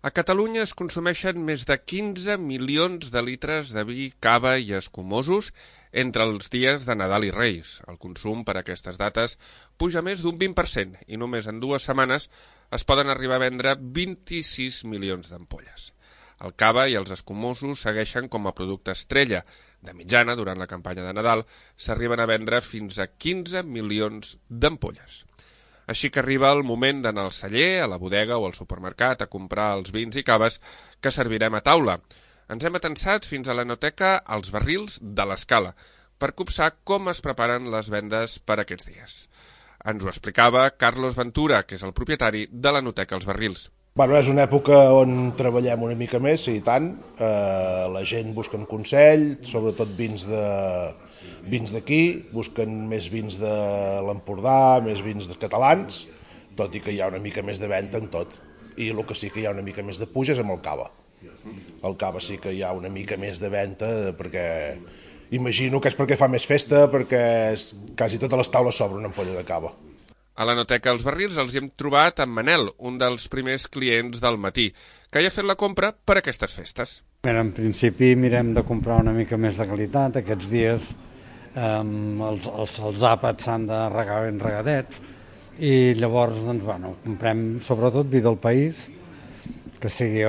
A Catalunya es consumeixen més de 15 milions de litres de vi, cava i escumosos entre els dies de Nadal i Reis. El consum per aquestes dates puja més d'un 20% i només en 2 setmanes es poden arribar a vendre 26 milions d'ampolles. El cava i els escumosos segueixen com a producte estrella. De mitjana, durant la campanya de Nadal, s'arriben a vendre fins a 15 milions d'ampolles. Així que arriba el moment d'anar al celler, a la bodega o al supermercat a comprar els vins i caves que servirem a taula. Ens hem atensat fins a l'enoteca Els Barrils de l'Escala per copsar com es preparen les vendes per aquests dies. Ens ho explicava Carlos Ventura, que és el propietari de l'enoteca Els Barrils. És una època on treballem una mica més, i tant. La gent busca un consell, sobretot vins d'aquí, busquen més vins de l'Empordà, més vins catalans, tot i que hi ha una mica més de venda en tot. I el que sí que hi ha una mica més de puja és amb el cava. El cava sí que hi ha una mica més de venda, perquè imagino que és perquè fa més festa, perquè quasi totes les taules s'obren una ampolla de cava. A l'enoteca Els Barrils els hi hem trobat amb Manel, un dels primers clients del matí, que ja ha fet la compra per aquestes festes. En principi mirem de comprar una mica més de qualitat. Aquests dies els àpats s'han de regar ben regadets i llavors comprem sobretot vi del país, que sigui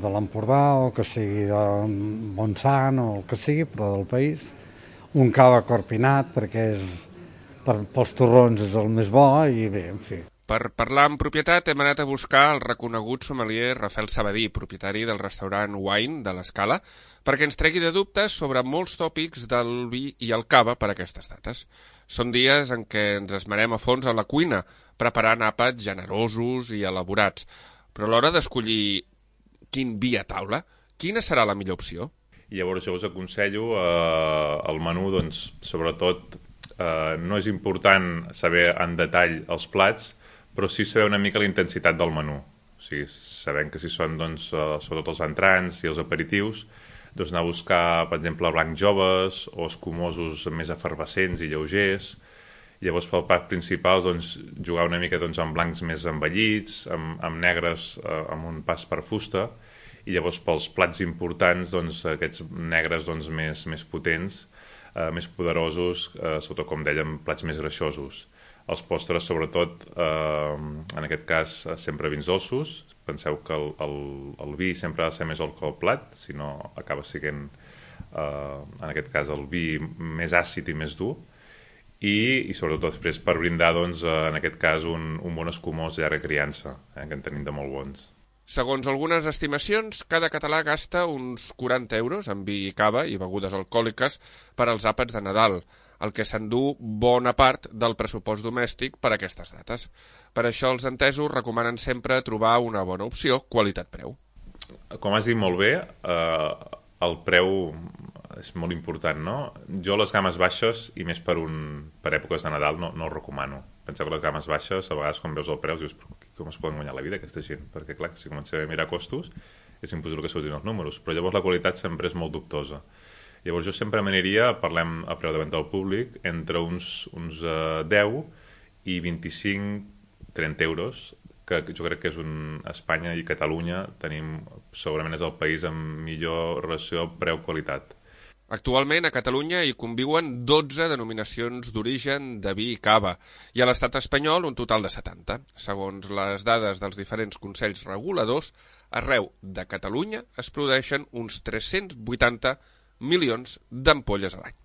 de l'Empordà o que sigui de Montsant o el que sigui, però del país. Un cava corpinat perquè pels torrons és el més bo i bé, en fi. Per parlar amb propietat hem anat a buscar el reconegut sommelier Rafael Sabadí, propietari del restaurant Wine de l'Escala, perquè ens tregui de dubtes sobre molts tòpics del vi i el cava per aquestes dates. Són dies en què ens esmerem a fons a la cuina, preparant àpats generosos i elaborats. Però a l'hora d'escollir quin vi a taula, quina serà la millor opció? Llavors jo us aconsello el menú, sobretot no és important saber en detall els plats, però sí saber una mica la intensitat del menú. O sigui, sabent que si són sobretot els entrants i els aperitius, anar a buscar, per exemple, blancs joves o escumosos més efervescents i lleugers. Llavors, pel plat principal, jugar una mica amb blancs més envellits, amb negres amb un pas per fusta, i llavors pels plats importants, aquests negres més potents, més poderosos, sobretot, com dèiem, plats més greixosos. Els postres, sobretot, en aquest cas, sempre vins dolços. Penseu que el vi sempre ha de ser més dolç que el plat, si no acaba sent, en aquest cas, el vi més àcid i més dur. I sobretot després per brindar, en aquest cas, un bon escumós de llarga criança, que en tenim de molt bons. Segons algunes estimacions, cada català gasta uns 40 euros en vi i cava i begudes alcohòliques per als àpats de Nadal, el que s'endú bona part del pressupost domèstic per a aquestes dates. Per això els entesos recomanen sempre trobar una bona opció qualitat-preu. Com has dit molt bé, el preu és molt important, no? Jo les gammes baixes, i més per èpoques de Nadal, no ho recomano. Penseu que les gammes baixes, a vegades quan veus el preu, dius, com es poden guanyar la vida aquesta gent? Perquè clar, si comencem a mirar costos, és impossible que surtin els números, però llavors la qualitat sempre és molt dubtosa. Llavors jo sempre m'aniria, parlem a preu de venda al públic, entre uns 10 i 25-30 euros, que jo crec que és Espanya i Catalunya tenim, segurament és el país amb millor relació preu-qualitat. Actualment a Catalunya hi conviuen 12 denominacions d'origen de vi i cava i a l'estat espanyol un total de 70. Segons les dades dels diferents consells reguladors, arreu de Catalunya es produeixen uns 380 milions d'ampolles a l'any.